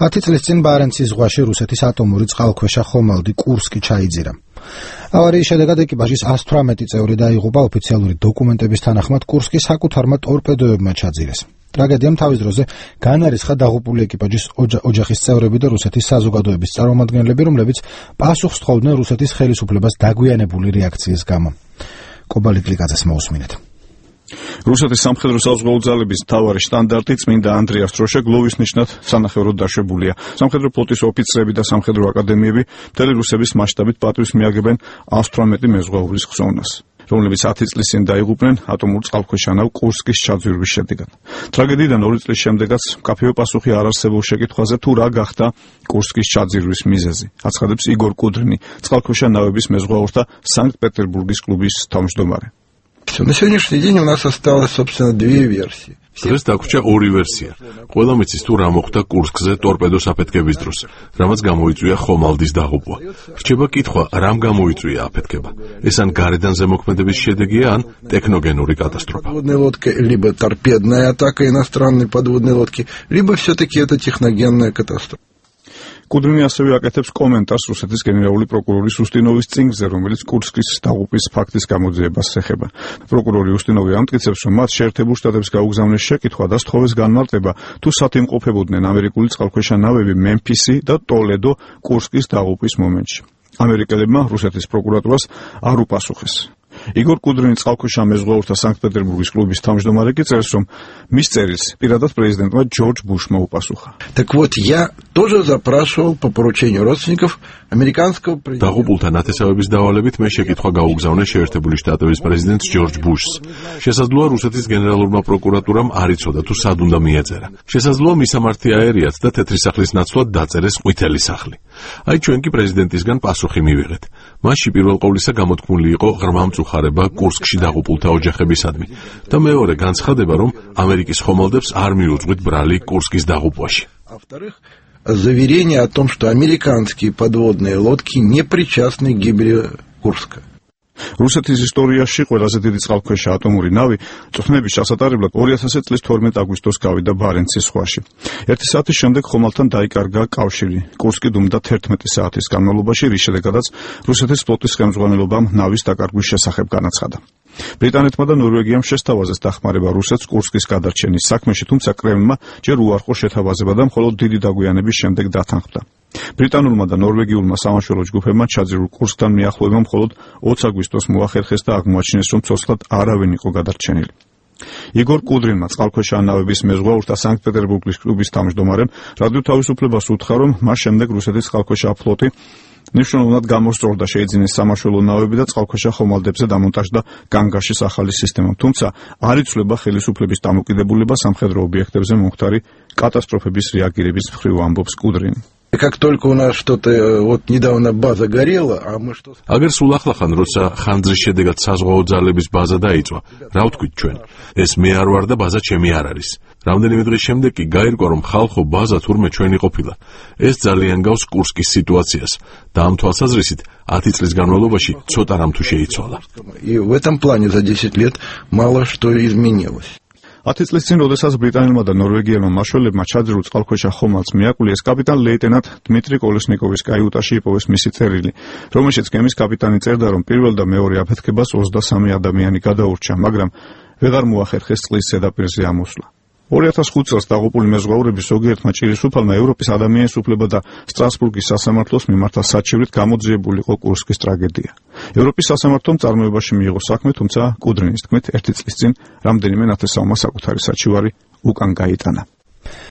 10 წლის წინ ბარენცის ზღვაში რუსეთის ატომური წყალქვეშა ხომალდი კურსკი ჩაიძირა. ავარიის შედეგად ეკიპაჟის 118 წევრი დაიღუპა, ოფიციალური დოკუმენტების თანახმად კურსკი საკუთარმა ტორპედოებმა ჩაძირეს. ტრაგედიამ თავის დროზე განარისხა დაღუპული ეკიპაჟის ოჯახის წევრები და რუსეთის საზოგადოების წარმომადგენლები, რომლებიც პასუხს თხოვდნენ რუსეთის ხელისუფლებას დაგვიანებული რეაქციის გამო. კობალი გლიკაძეს მოусმინეთ. რუსეთის სამხედრო საზღვაო ძალების მთავარი შტანდარტი წმინდა ანდრიას დროშა გლოვის ნიშნად სანახევროდ დაშვებულია. სამხედრო ფლოტის ოფიცრები და სამხედრო აკადემიები მთელი რუსების მასშტაბით პატივს მიაგებენ 118 მეზღვაურის ხსოვნას, რომლებიც 10 წლის წინ დაიღუპნენ ატომურ წყალქვეშა ნავ კურსკის ჩაძვირვის შედეგად. ტრაგედიიდან 2 წლის შემდეგაც მკაფიო პასუხი არ არსებულ შეკითხვაზე თუ რა გახდა კურსკის ჩაძვირვის მიზეზი, აცხადებს იგორ კუდრინი, წყალქვეშა ნავების მეზღვაურთა სანქტ-პეტერბურგის კლუბის თავმჯდომარე. На сегодняшний день у нас осталось, собственно, две версии. დღეს დაგვრჩა ორი ვერსია. ყველა მიცის თუ რა მოხდა კურსკზე ტორპედოს აფეთქების დროს, რამაც გამოიწვია ხომალდის დაღუპვა. რჩება კითხვა, რამ გამოიწვია აფეთქება. ეს ან გარედან ზემოქმედების შედეგია, ან ტექნოგენური კატასტროფა. Подводная лодка, либо торпедная атака иностранной подводной лодки, либо все-таки это техногенная катастрофа. კუდრინი ასევე აკეთებს კომენტარს რუსეთის გენერალური პროკურორის უსტინოვის წინგზე, რომელიც კურსკის დაღუპვის ფაქტის გამოძიებას ეხება. პროკურორი უსტინოვი ამტკიცებს, რომ მათ შეერთებულ შტატებს გაუგზავნეს შეკითხვა და სთხოვეს განმარტება, თუ სად იმყოფებოდნენ ამერიკული წყალქვეშა ნავები მემფისი და ტოლედო კურსკის დაღუპვის მომენტში. ამერიკელებმა რუსეთის პროკურატურას არ უპასუხეს. იგორ კუდრინი წყალქვეშა მეზღვაურთა სანქტ-პეტერბურგის კლუბის თავმჯდომარე კი წერს, რომ მის წერილს პირადად პრეზიდენტმა ჯორჯ ბუშმა უპასუხა. Так вот, я тоже запрашивал по поручению родственников американского президента. დაღუპულთა ნათესავების დავალებით მე შეკითხვა გაუგზავნე შეერთებული შტატების პრეზიდენტს ჯორჯ ბუშს. შესაძლოა რუსეთის გენერალურმა პროკურატურამ არ იცოდა თუ სად უნდა მიეწერა. შესაძლოა მისამართი აერიათ და თეთრი სახლის ნაცვლად დაწერეს ყვითელი სახლი. აი ჩვენ კი პრეზიდენტისგან პასუხი მივიღეთ. მასში პირველ ყოვლისა გამოთქმული იყო ღრმა მწუხარება კურსკში დაღუპულთა ოჯახებისადმი და მეორე განცხადება, რომ ამერიკის ხომალდებს არ მიუძღვით ბრალი კურსკის დაღუპვაში. Во-вторых, заверение о том, что американские подводные лодки не причастны к гибели Курска. რუსეთის ისტორიაში ყველაზე დიდი წყალქვეშა ატომური ნავი წვრთნების ჩასატარებლად 2000 წლის 12 აგვისტოს გავიდა ბარენცის ზღვაში. 1 საათის შემდეგ ხომალდთან დაიკარგა კავშირი. კურსკი დუმდა 11 საათის განმავლობაში, რის შედეგადაც რუსეთის ფლოტის ხელმძღვანელობამ ნავის დაკარგვის შესახებ განაცხადა. ბრიტანეთმა და ნორვეგიამ შესთავაზეს დახმარება რუსეთს კურსკის გადარჩენის საქმეში, თუმცა კრემლმა ჯერ უარყო შეთავაზება და მხოლოდ დიდი დაგვიანების შემდეგ დათანხმდა. ბრიტანულმა და ნორვეგიულმა სამაშველო ჯგუფებმა ჩაძირულ კურსკთან მიახლოება მხოლოდ 20 აგვისტოს მოახერხეს და აღმოაჩინეს, რომ ცოცხლად არავინ იყო გადარჩენილი. იგორ კუდრინმა, წყალქვეშა ნავების მეზღვაურთა სანქტ-პეტერბურგის კლუბის თავმჯდომარემ, რადიო თავისუფლებას უთხრა, რომ მას შემდეგ რუსეთის წყალქვეშა ფლოტი ნიშნულად გამოსწორდა შეიძინეს სამაშველო ნავები და წყალქვეშა ხომალდებზე დამონტაჟდა განგაშის ახალი სისტემა. თუმცა არ იცვლება ხელისუფლების დამოკიდებულება სამხედრო ობიექტებზე მომხდარი კატასტროფების რეაგირების მხრივ, ამბობს კუდრინი. Как только у нас что-то вот недавно база горела, а мы что? აგერ სულ ახლახან როცა ხანძრის შედეგად საზღვაო ძალების ბაზა დაიწვა, რა ვთქვით ჩვენ? ეს მე არ ვარ და ბაზა ჩემი არ არის. რამდენიმე დღის შემდეგ კი გაირკვა, რომ ხალხო ბაზა თურმე ჩვენი ყოფილა. ეს ძალიან გავს კურსკის სიტუაციას და ამ თვალსაზრისით 10 წლის განმავლობაში ცოტა რამ თუ შეიცვალა. И в этом плане за 10 лет мало что изменилось. 10 წლის წინ, როდესაც ბრიტანელმა და ნორვეგიელმა მაშველებმა ჩაძირულ წყალქვეშა ხომალდს მიაკვლიეს, კაპიტან ლეიტენანტ დმიტრი კოლესნიკოვის კაიუტაში იპოვეს მისი წერილი, რომელშიც გემის კაპიტანი წერდა, რომ პირველ და მეორე აფეთქებას 23 ადამიანი გადაურჩა, მაგრამ ვეღარ მოახერხეს წყლის ზედაპირზე ამოსვლა. 2005 წელს დაღუპული მეზღვაურების ზოგიერთმა ჭირისუფალმა ევროპის ადამიანის უფლება და სტრასბურგის სასამართლოს მიმართა საჩივრით გამოძიებული იყო კურსკის ტრაგედია. ევროპის სასამართლომ წარმოებაში მიიღო საქმე, თუმცა კუდრინის თქმით 1 წლის წინ რამდენიმე ნათესავმა საკუთარი საჩივარი უკან გაიტანა.